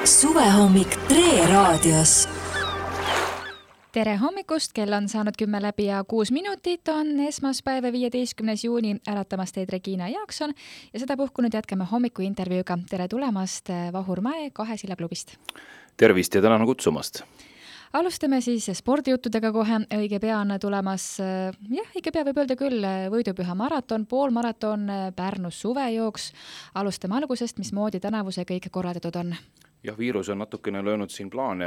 Suvehommik Tre raadios. Tere hommikust, kell on saanud 10 läbi ja 6 minutit, on esmaspäev 15. juuni, äratamas teid Regina Jaakson ja seda puhkunud jätkame hommikuintervjuuga. Tere tulemast Vahur Mäe 2 Silla klubist. Tervist ja tänan kutsumast. Alustame siis spordijuttudega kohe, õige pea on tulemas, õige pea võib öelda küll, võidupüha maraton, poolmaraton, Pärnus suvejooks. Alustame algusest, mismoodi tänavu see kõik korraldatud on? Jah, viirus on natukene löönud siin plaane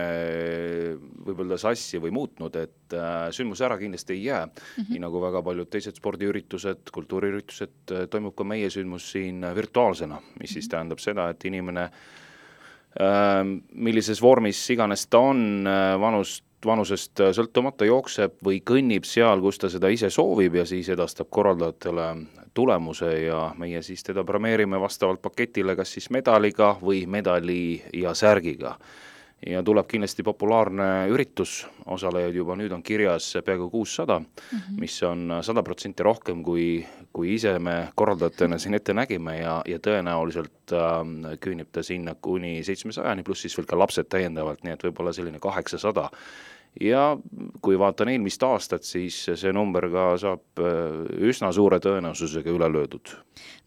võib-olla sassi või muutnud, et sündmus ära kindlasti ei jää. Nii nagu väga paljud teised spordiüritused, kultuuriüritused, toimub ka meie sündmus siin virtuaalsena, mis siis tähendab seda, et inimene millises vormis iganes ta on, vanusest sõltumata jookseb või kõnnib seal, kus ta seda ise soovib ja siis edastab korraldajatele tulemuse ja meie siis teda premeerime vastavalt paketile kas siis medaliga või medali ja särgiga. Ja tuleb kindlasti populaarne üritus, osalejaid juba nüüd on kirjas peaaegu 600, mis on 100% rohkem kui ise me korraldajatena siin ette nägime ja tõenäoliselt küünib ta sinna kuni 700 pluss siis veel ka lapsed täiendavalt, nii et võib-olla selline 800. Ja kui vaatan eelmist aastat, siis see number ka saab üsna suure tõenäosusega üle löödud.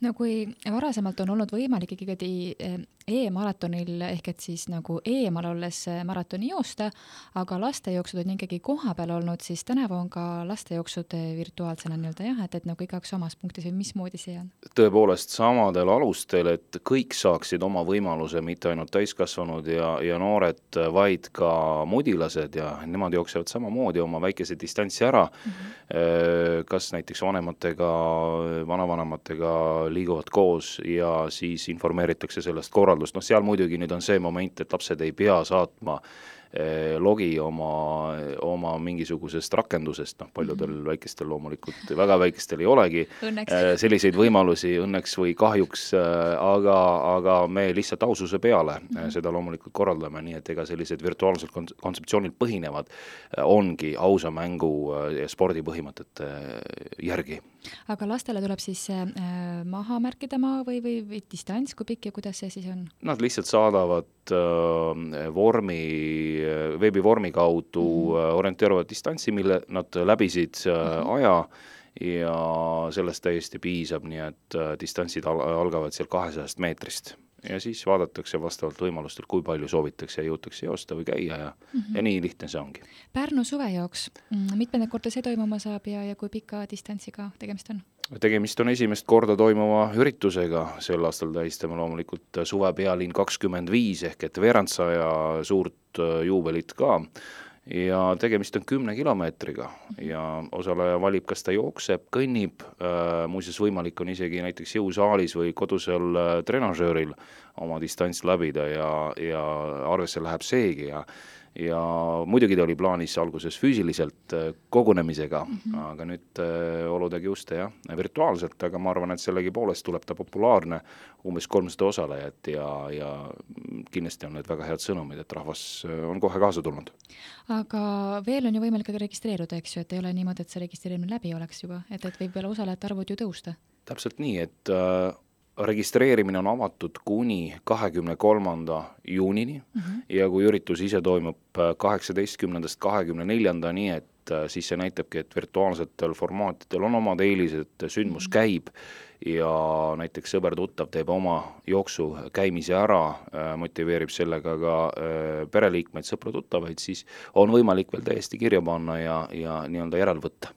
No kui varasemalt on olnud võimalik ikkagi e-maratonil ehk et siis nagu eemal olles maratoni joosta, aga lastejooksud on ikkagi koha peal olnud, siis tänavu on ka lastejooksud virtuaalsena et nagu igaks omas punktis või mismoodi see on? Tõepoolest samadel alustel, et kõik saaksid oma võimaluse, mitte ainult täiskasvanud ja noored, vaid ka mudilased ja nemad jooksevad samamoodi oma väikese distantsi ära, kas näiteks vanematega, vanavanematega liiguvad koos ja siis informeeritakse sellest korraldust. Seal muidugi nüüd on see moment, et lapsed ei pea saatma logi oma mingisugusest rakendusest, paljudel väikestel loomulikult, väga väikestel ei olegi selliseid võimalusi õnneks või kahjuks, aga me lihtsalt aususe peale seda loomulikult korraldame, nii et ega sellised virtuaalsed kontseptsioonid põhinevad ongi ausa mängu ja spordipõhimõtete järgi. Aga lastele tuleb siis maha märkida maa või distants, kui pikk ja kuidas see siis on? Nad lihtsalt saadavad veebivormi kaudu orienteeruvad distantsi, mille nad läbisid aja ja sellest täiesti piisab, nii et distantsid algavad seal 200 meetrist. Ja siis vaadatakse vastavalt võimalustel, kui palju soovitakse ja jõutakse joosta või käia ja nii lihtne see ongi. Pärnu suvejooks, mitmenda korda see toimuma saab ja kui pika distantsiga tegemist on? Tegemist on esimest korda toimuva üritusega, sel aastal tähistame loomulikult suve pealinn 25 ehk et veerandsaja suurt juubelit ka ja tegemist on 10 kilomeetriga ja osaleja valib, kas ta jookseb, kõnnib, muuseas võimalik on isegi näiteks jõusaalis või kodusel trenažööril oma distants läbida ja arvesse läheb seegi ja muidugi ta oli plaanis alguses füüsiliselt kogunemisega, aga nüüd oludega just virtuaalselt, aga ma arvan, et sellegi poolest tuleb ta populaarne, umbes 300 osalejat ja kindlasti on need väga head sõnumid, et rahvas on kohe kaasa tulnud. Aga veel on ju võimalik registreeruda, eks ju, et ei ole niimoodi, et see registreerimine läbi oleks juba, et võib veel osalejate arvud ju tõusta. Täpselt nii, et registreerimine on avatud kuni 23. juunini ja kui üritus ise toimub 18.–24. nii et siis see näitabki, et virtuaalsetel formaatidel on omad eelised, sündmus käib ja näiteks sõber-tuttav teeb oma jooksu käimise ära, motiveerib sellega ka pereliikmeid, sõpra-tuttavaid, siis on võimalik veel täiesti kirja panna ja nii-öelda järel võtta.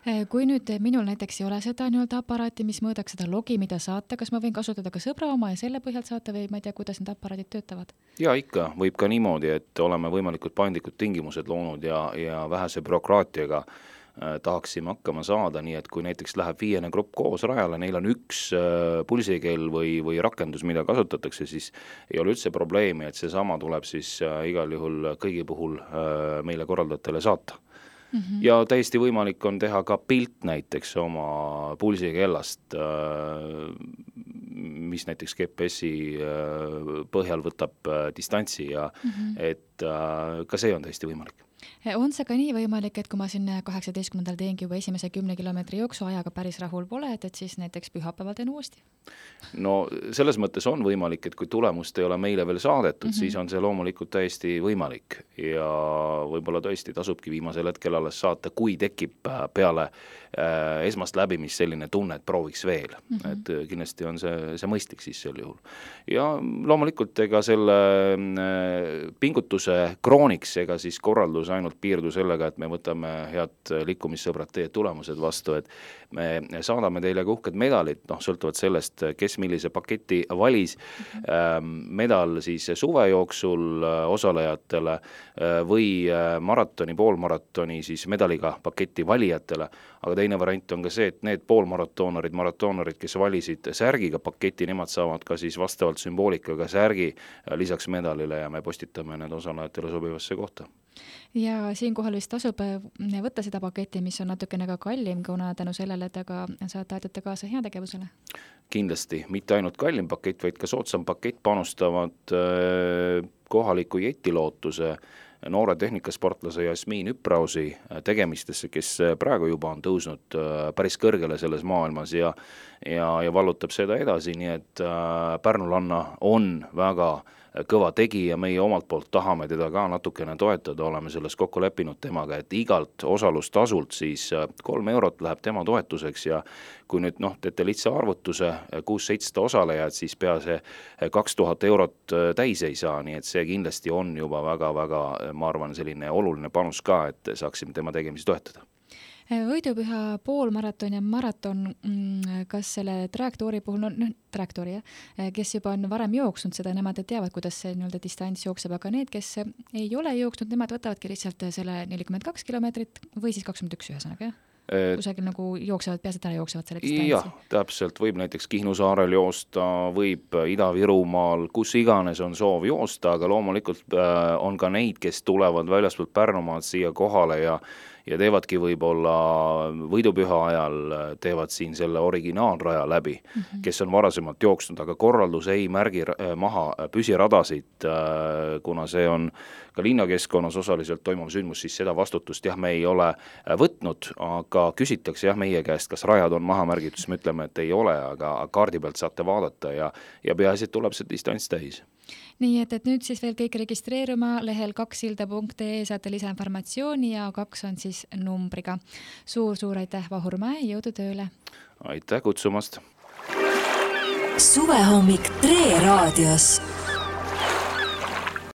Kui nüüd minul näiteks ei ole seda aparaati, mis mõõdaks seda logi, mida saata, kas ma võin kasutada ka sõbra oma ja selle põhjalt saata või ma ei tea, kuidas need aparaadid töötavad? Ja ikka, võib ka niimoodi, et oleme võimalikult paindlikud tingimused loonud ja vähese bürokraatiaga tahaksime hakkama saada, nii et kui näiteks läheb 5 grupp koos rajale, neil on üks pulsikell või rakendus, mida kasutatakse, siis ei ole üldse probleemi, et seesama tuleb siis igal juhul kõigi puhul meile korraldajatele saata. Ja täiesti võimalik on teha ka pilt näiteks oma pulsikellast, mis näiteks GPS-i põhjal võtab distantsi ja et ka see on täiesti võimalik. On see ka nii võimalik, et kui ma siin 18. teengi juba esimese 10 kilomeetri jooksu ajaga päris rahul pole, et siis näiteks pühapäeval teen uuesti? No selles mõttes on võimalik, et kui tulemust ei ole meile veel saadetud, siis on see loomulikult täiesti võimalik ja võib-olla tõesti tasubki viimasel hetkel alles saata, kui tekib peale esmast läbimist selline tunne, et prooviks veel. Et kindlasti on see mõistlik siis sel juhul. Ja loomulikult ega selle pingutuse krooniks ega siis korraldus ainult piirdu sellega, et me võtame head liikumissõbrad teie tulemused vastu, et me saadame teile ka uhked medalid, sõltuvalt sellest, kes millise paketi valis, medal siis suve jooksul osalejatele või maratoni, poolmaratoni siis medaliga paketi valijatele, aga teine variant on ka see, et need poolmaratoonarid, kes valisid särgiga paketi, nemad saavad ka siis vastavalt sümboolikaga särgi lisaks medalile ja me postitame need osalejatele sobivasse kohta. Ja siinkohal vist tasub võtta seda paketi, mis on natukene ka kallim, kuna tänu sellele, et aga saate aidata kaasa heategevusele? Kindlasti, mitte ainult kallim pakett, vaid ka soodsam pakett panustavad kohaliku jetilootuse noore tehnikasportlase Jasmiin Üprausi tegemistesse, kes praegu juba on tõusnud päris kõrgele selles maailmas ja vallutab seda edasi, nii et Pärnulanna on väga kõva tegija, meie omalt poolt tahame teda ka natukene toetada, oleme selles kokku leppinud temaga, et igalt osalustasult siis 3 eurot läheb tema toetuseks ja kui nüüd teete lihtsa arvutuse 600-700 osalejad, siis pea see 2000 eurot täis ei saa, nii et see kindlasti on juba väga-väga, ma arvan, selline oluline panus ka, et saaksime tema tegemisi toetada. Võidupüha poolmaraton ja maraton, kas selle trajektoori puhul, trajektoori, kes juba on varem jooksnud seda, nemad teavad, kuidas see distants jookseb, aga need, kes ei ole jooksnud, nemad võtavadki lihtsalt selle 42 kilomeetrit või siis 21 ühesõnaga, jah? Kusagil nagu jooksevad, peaasjad ära jooksevad selle distantsi. Jah, täpselt, võib näiteks Kihnu saarel joosta, võib Ida-Virumaal, kus iganes on soov joosta, aga loomulikult on ka neid, kes tulevad väljaspoolt Pärnumaad siia kohale ja teevadki võib-olla võidupüha ajal, teevad siin selle originaalraja läbi, kes on varasemalt jooksnud, aga korraldus ei märgi maha püsiradasid, kuna see on ka linnakeskkonnas osaliselt toimuv sündmus, siis seda vastutust me ei ole võtnud, aga küsitakse meie käest, kas rajad on maha märgitud, siis me ütleme, et ei ole, aga kaardi pealt saate vaadata ja peaasi, et tuleb see distants täis. Nii et nüüd siis veel kõik registreeruma lehel 2silda.ee saate lisainformatsiooni ja 2 on siis numbriga. Suur aitäh, Vahur Mäe, jõudu tööle! Aitäh kutsumast! Suvehommik Tre raadios.